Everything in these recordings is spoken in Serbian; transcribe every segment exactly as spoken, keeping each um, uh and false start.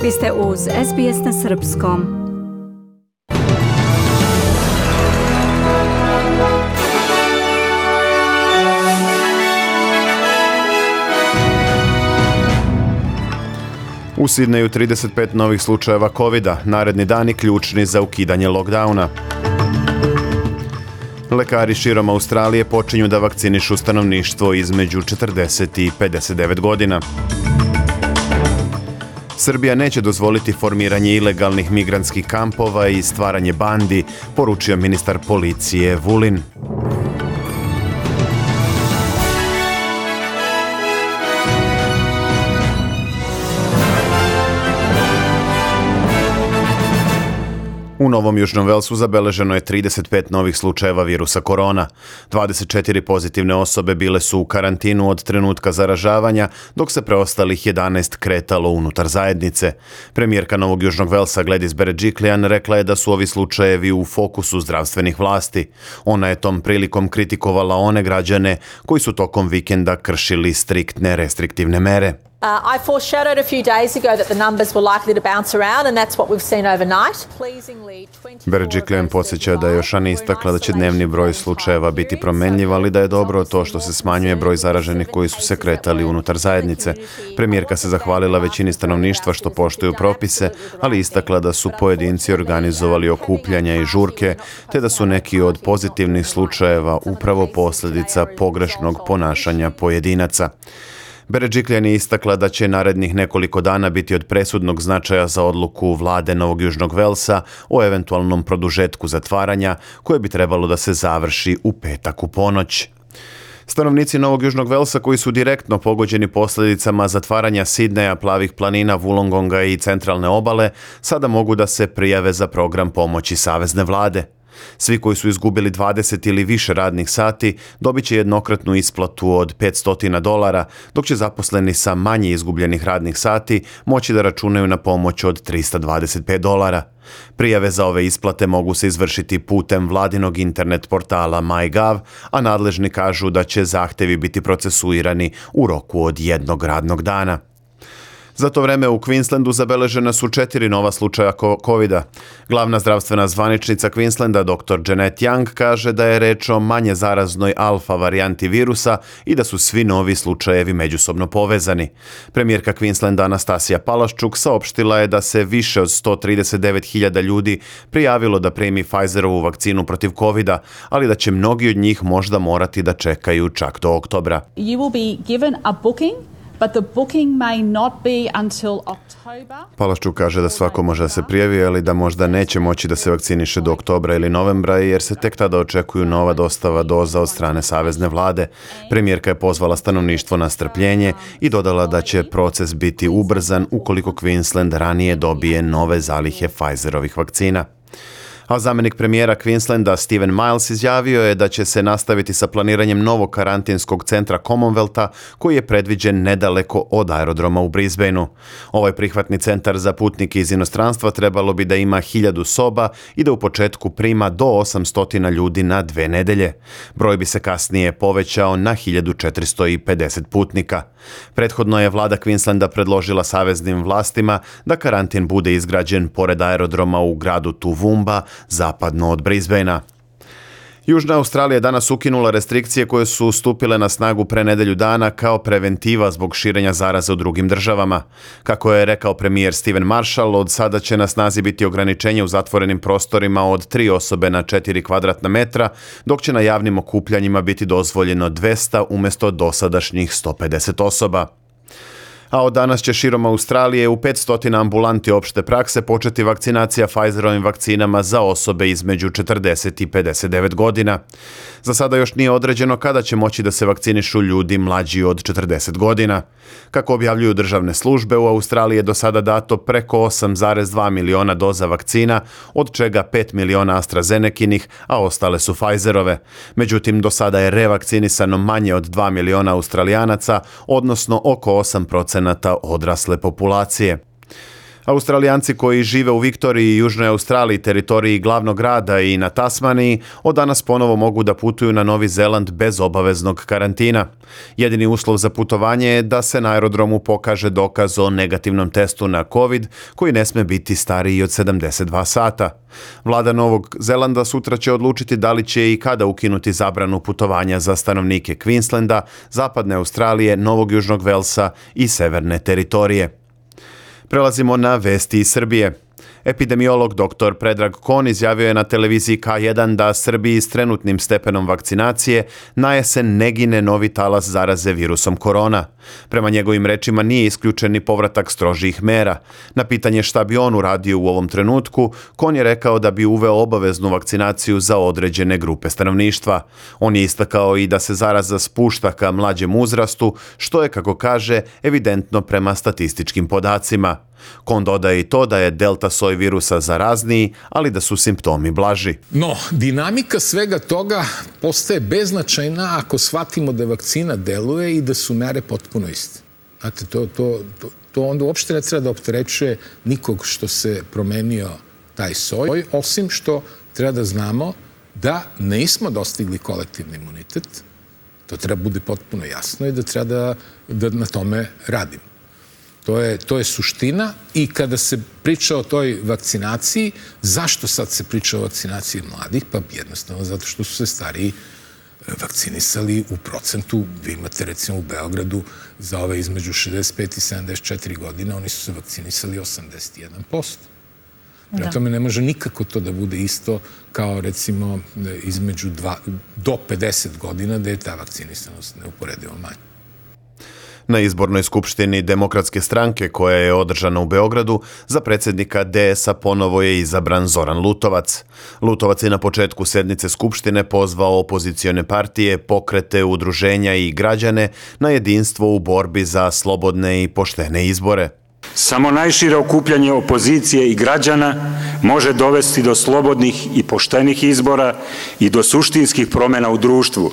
Vi ste uz S B S na srpskom. U Sidneju trideset pet novih slučajeva kovida, naredni dani ključni za ukidanje lockdowna. Lekari širom Australije počinju da vakcinišu stanovništvo između četrdeset i pedeset devet godina. Srbija neće dozvoliti formiranje ilegalnih migrantskih kampova i stvaranje bandi, poručio ministar policije Vulin. U Novom Južnom Velsu zabeleženo je trideset pet novih slučajeva virusa korona. dvadeset četiri pozitivne osobe bile su u karantinu od trenutka zaražavanja, dok se preostalih jedanaest kretalo unutar zajednice. Premijerka Novog Južnog Velsa Gladys Berejiklian rekla je da su ovi slučajevi u fokusu zdravstvenih vlasti. Ona je tom prilikom kritikovala one građane koji su tokom vikenda kršili striktne restriktivne mere. Uh, I foreshadowed a few days ago that the numbers were likely to bounce around, and that's what we've seen overnight. Pleasingly, Berejiklian podsjeća da je još ranije istakla da će dnevni broj slučajeva biti promenljiv, ali da je dobro to što se smanjuje broj zaraženih koji su se kretali unutar zajednice. Premijerka se zahvalila većini stanovništva što poštuju propise, ali istakla da su pojedinci organizovali okupljanja i žurke, te da su neki od pozitivnih slučajeva upravo posljedica pogrešnog ponašanja pojedinaca. Berejiklian je istakla da će narednih nekoliko dana biti od presudnog značaja za odluku vlade Novog Južnog Velsa o eventualnom produžetku zatvaranja, koje bi trebalo da se završi u petak u ponoć. Stanovnici Novog Južnog Velsa koji su direktno pogođeni posljedicama zatvaranja Sidneja, Plavih planina, Wollongonga i centralne obale sada mogu da se prijave za program pomoći savezne vlade. Svi koji su izgubili dvadeset ili više radnih sati dobit će jednokratnu isplatu od petsto dolara, dok će zaposleni sa manje izgubljenih radnih sati moći da računaju na pomoć od trista dvadeset pet dolara. Prijave za ove isplate mogu se izvršiti putem vladinog internet portala MyGov, a nadležni kažu da će zahtevi biti procesuirani u roku od jednog radnog dana. Za to vreme u Queenslandu zabeležena su četiri nova slučaja kovida. Glavna zdravstvena zvaničnica Queenslanda, doktor Janet Young, kaže da je reč o manje zaraznoj alfa varijanti virusa i da su svi novi slučajevi međusobno povezani. Premijerka Queenslanda Anastasija Palaszczuk saopštila je da se više od sto trideset devet hiljada ljudi prijavilo da primi Pfizerovu vakcinu protiv kovida, ali da će mnogi od njih možda morati da čekaju čak do oktobra. You will be given a booking. But the booking may not be until October. Palaszczuk kaže da svako može da se prijavi, ali da možda neće moći da se vakciniše do oktobra ili novembra, jer se tek tada očekuju nova dostava doza od strane savezne vlade. Premijerka je pozvala stanovništvo na strpljenje i dodala da će proces biti ubrzan ukoliko Queensland ranije dobije nove zalihe Pfizerovih vakcina. A zamjenik premijera Queenslanda Steven Miles izjavio je da će se nastaviti sa planiranjem novog karantinskog centra Commonwealtha koji je predviđen nedaleko od aerodroma u Brisbaneu. Ovaj prihvatni centar za putnike iz inostranstva trebalo bi da ima hiljadu soba i da u početku prima do osamsto ljudi na dve nedelje. Broj bi se kasnije povećao na hiljadu četiristo pedeset putnika. Prethodno je vlada Queenslanda predložila saveznim vlastima da karantin bude izgrađen pored aerodroma u gradu Toowoomba, zapadno od Brisbanea. Južna Australija je danas ukinula restrikcije koje su stupile na snagu pre nedelju dana kao preventiva zbog širenja zaraze u drugim državama. Kako je rekao premijer Steven Marshall, od sada će na snazi biti ograničenje u zatvorenim prostorima od tri osobe na četiri kvadratna metra, dok će na javnim okupljanjima biti dozvoljeno dvesta umjesto dosadašnjih sto pedeset osoba. A od danas će širom Australije u petsto ambulanti opšte prakse početi vakcinacija Pfizerovim vakcinama za osobe između četrdeset i pedeset devet godina. Za sada još nije određeno kada će moći da se vakcinišu ljudi mlađi od četrdeset godina. Kako objavljuju državne službe, u Australiji je do sada dato preko osam zarez dva miliona doza vakcina, od čega pet miliona AstraZenekinih, a ostale su Pfizerove. Međutim, do sada je revakcinisano manje od dva miliona Australijanaca, odnosno oko osam procenata odrasle populacije. Australijanci koji žive u Viktoriji i Južnoj Australiji, teritoriji glavnog grada i na Tasmaniji, od danas ponovo mogu da putuju na Novi Zeland bez obaveznog karantina. Jedini uslov za putovanje je da se na aerodromu pokaže dokaz o negativnom testu na COVID, koji ne sme biti stariji od sedamdeset dva sata. Vlada Novog Zelanda sutra će odlučiti da li će i kada ukinuti zabranu putovanja za stanovnike Queenslanda, Zapadne Australije, Novog Južnog Velsa i Severne teritorije. Prelazimo na vesti iz Srbije. Epidemiolog doktor Predrag Kon izjavio je na televiziji K jedan da Srbiji s trenutnim stepenom vakcinacije na jesen ne gine novi talas zaraze virusom korona. Prema njegovim rečima nije isključen ni povratak strožijih mera. Na pitanje šta bi on uradio u ovom trenutku, Kon je rekao da bi uveo obaveznu vakcinaciju za određene grupe stanovništva. On je istakao i da se zaraza spušta ka mlađem uzrastu, što je, kako kaže, evidentno prema statističkim podacima. Kon dodaje i to da je delta soj virusa zarazniji, ali da su simptomi blaži. No, dinamika svega toga postaje beznačajna ako shvatimo da vakcina deluje i da su mere potpuno iste. Znate, to, to, to, to onda uopšte ne treba da opterećuje nikog što se promenio taj soj, osim što treba da znamo da nismo dostigli kolektivni imunitet. To treba bude potpuno jasno i da treba da, da na tome radimo. To je, to je suština i kada se priča o toj vakcinaciji, zašto sad se priča o vakcinaciji mladih? Pa jednostavno zato što su se stariji vakcinisali u procentu. Vi imate recimo u Beogradu za ove između šezdeset pet i sedamdeset četiri godine, oni su se vakcinisali osamdeset jedan posto. Prema tome ne može nikako to da bude isto kao recimo između dva, do pedeset godina gde je ta vakcinisanost neuporedivo manja. Na izbornoj skupštini Demokratske stranke koja je održana u Beogradu, za predsjednika D S-a ponovo je izabran Zoran Lutovac. Lutovac je na početku sednice skupštine pozvao opozicione partije, pokrete, udruženja i građane na jedinstvo u borbi za slobodne i poštene izbore. Samo najšire okupljanje opozicije i građana može dovesti do slobodnih i poštenih izbora i do suštinskih promjena u društvu.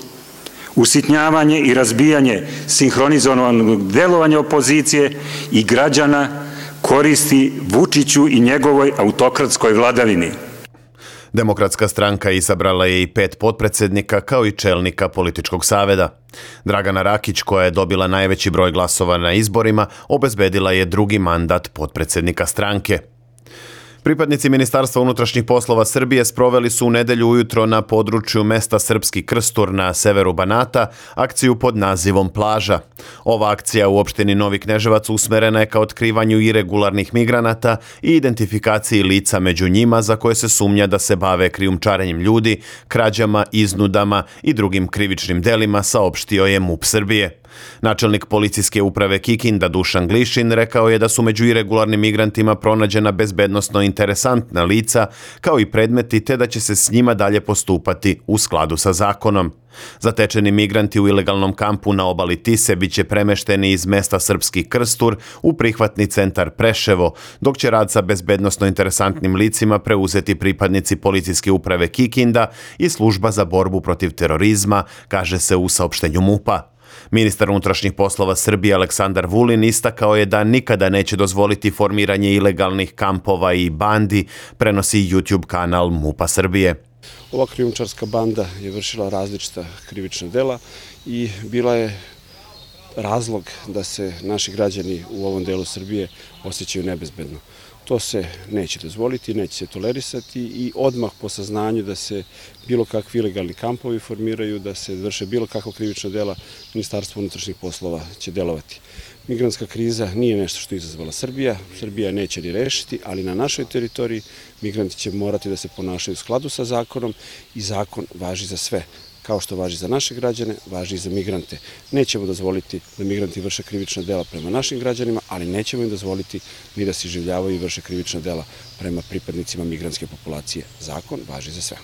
Usitnjavanje i razbijanje sinhronizovanog delovanja opozicije i građana koristi Vučiću i njegovoj autokratskoj vladavini. Demokratska stranka izabrala je i pet potpredsjednika kao i čelnika političkog saveza. Dragana Rakić, koja je dobila najveći broj glasova na izborima, obezbedila je drugi mandat potpredsjednika stranke. Pripadnici Ministarstva unutrašnjih poslova Srbije sproveli su u nedelju ujutro na području mesta Srpski Krstur na severu Banata akciju pod nazivom Plaža. Ova akcija u opštini Novi Kneževac usmerena je ka otkrivanju iregularnih migranata i identifikaciji lica među njima za koje se sumnja da se bave krijumčarenjem ljudi, krađama, iznudama i drugim krivičnim delima, saopštio je MUP Srbije. Načelnik policijske uprave Kikinda Dušan Glišin rekao je da su među iregularnim migrantima pronađena bezbednosno interesantna lica kao i predmeti, te da će se s njima dalje postupati u skladu sa zakonom. Zatečeni migranti u ilegalnom kampu na obali Tise biće premešteni iz mesta Srpski Krstur u prihvatni centar Preševo, dok će rad sa bezbednosno interesantnim licima preuzeti pripadnici policijske uprave Kikinda i služba za borbu protiv terorizma, kaže se u saopštenju MUP-a. Ministar unutrašnjih poslova Srbije Aleksandar Vulin istakao je da nikada neće dozvoliti formiranje ilegalnih kampova i bandi, prenosi YouTube kanal MUP-a Srbije. Ova krijumčarska banda je vršila različita krivična dela i bila je razlog da se naši građani u ovom delu Srbije osjećaju nebezbedno. To se neće dozvoliti, neće se tolerisati i odmah po saznanju da se bilo kakvi ilegalni kampovi formiraju, da se vrše bilo kakva krivična dela, Ministarstvo unutrašnjih poslova će delovati. Migrantska kriza nije nešto što je izazvala Srbija, Srbija neće ni rešiti, ali na našoj teritoriji migranti će morati da se ponašaju u skladu sa zakonom i zakon važi za sve. Kao što važi za naše građane, važi i za migrante. Nećemo dozvoliti da migranti vrše krivična dela prema našim građanima, ali nećemo im dozvoliti ni da se iživljavaju i vrše krivična dela prema pripadnicima migrantske populacije. Zakon važi za sve.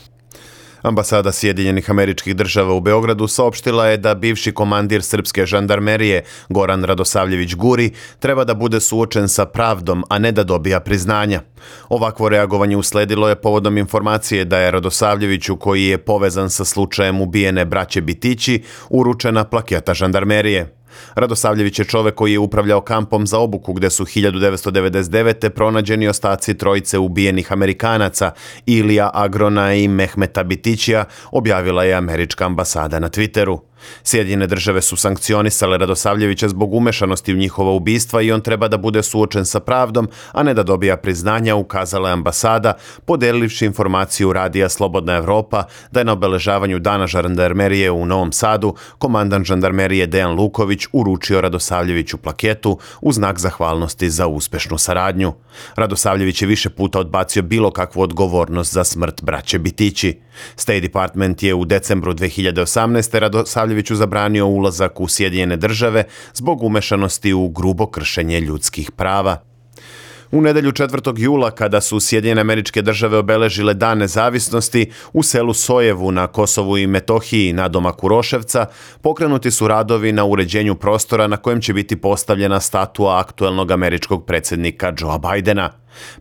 Ambasada Sjedinjenih Američkih Država u Beogradu saopštila je da bivši komandir srpske žandarmerije Goran Radosavljević Guri treba da bude suočen sa pravdom, a ne da dobija priznanja. Ovakvo reagovanje usledilo je povodom informacije da je Radosavljeviću, koji je povezan sa slučajem ubijene braće Bitići, uručena plaketa žandarmerije. Radosavljević je čovek koji je upravljao kampom za obuku gde su hiljadu devetsto devedeset devete. pronađeni ostaci trojice ubijenih Amerikanaca, Ilija Agrona i Mehmeta Bitićija, objavila je američka ambasada na Twitteru. Sjedinjene države su sankcionisale Radosavljevića zbog umešanosti u njihova ubistva i on treba da bude suočen sa pravdom, a ne da dobija priznanja, ukazala je ambasada, podelivši informaciju radija Slobodna Evropa da je na obeležavanju Dana žandarmerije u Novom Sadu komandant žandarmerije Dejan Luković uručio Radosavljeviću plaketu u znak zahvalnosti za uspešnu saradnju. Radosavljević je više puta odbacio bilo kakvu odgovornost za smrt braće Bitići. State Department je u decembru dve hiljade osamnaeste. Radosavljeviću zabranio ulazak u Sjedinjene države zbog umešanosti u grubo kršenje ljudskih prava. U nedelju četvrtog jula, kada su Sjedinjene Američke Države obeležile Dan nezavisnosti, u selu Sojevu na Kosovu i Metohiji na domaku Roševca, pokrenuti su radovi na uređenju prostora na kojem će biti postavljena statua aktuelnog američkog predsjednika Joea Bidena.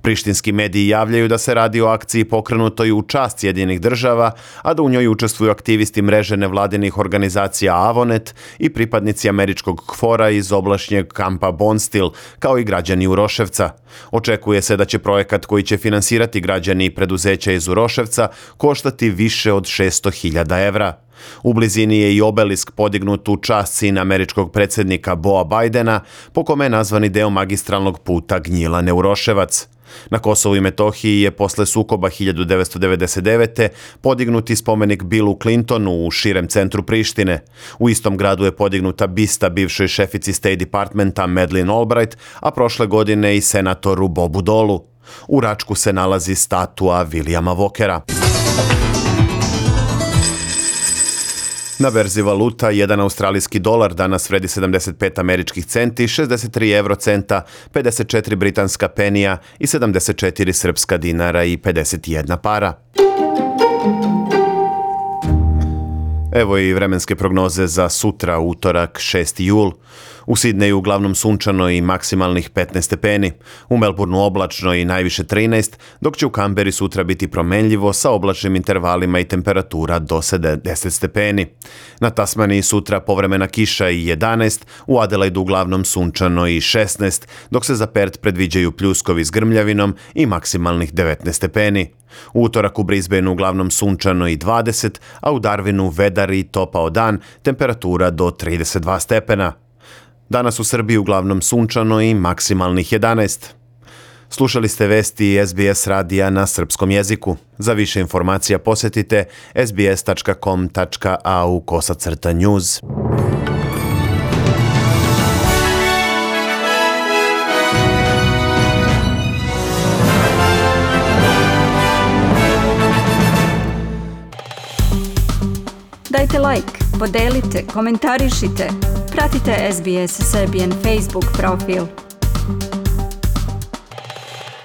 Prištinski mediji javljaju da se radi o akciji pokrenutoj u čast Sjedinjenih država, a da u njoj učestvuju aktivisti mreže nevladinih organizacija Avonet i pripadnici američkog KFOR-a iz oblašnjeg kampa Bonstil, kao i građani Uroševca. Očekuje se da će projekat koji će finansirati građani i preduzeća iz Uroševca koštati više od šesto hiljada evra. U blizini je i obelisk podignut u čast sina američkog predsjednika Boa Bidena, po kome je nazvani deo magistralnog puta Gnjilane-Uroševac. Na Kosovu i Metohiji je posle sukoba hiljadu devetsto devedeset devete. podignuti spomenik Billu Clintonu u širem centru Prištine. U istom gradu je podignuta bista bivšoj šefici State Departmenta Madeleine Albright, a prošle godine i senatoru Bobu Dolu. U Račku se nalazi statua Williama Walkera. Na berzi valuta jedan australijski dolar danas vredi sedamdeset pet američkih centi, šezdeset tri evrocenta, pedeset četiri britanska penija i sedamdeset četiri srpska dinara i pedeset jedna para. Evo i vremenske prognoze za sutra, utorak, šesti jul. U Sidneju uglavnom sunčano i maksimalnih petnaest stepeni, u Melbourneu oblačno i najviše trinaest, dok će u Kamberi sutra biti promenljivo sa oblačnim intervalima i temperatura do sedamdeset stepeni. Na Tasmaniji sutra povremena kiša i jedanaest, u Adelaidu uglavnom sunčano i šesnaest, dok se za Perth predviđaju pljuskovi s grmljavinom i maksimalnih devetnaest stepeni. U utorak u Brisbaneu uglavnom sunčano i dvadeset, a u Darwinu vedar i topao dan, temperatura do trideset dva stepena. Danas u Srbiji uglavnom sunčano i maksimalnih jedanaest. Slušali ste vesti S B S radija na srpskom jeziku. Za više informacija posjetite sbs tačka com tačka a u kosacrta news. Dajte like, podelite, komentarišite. Pratite S B S Serbian Facebook profil.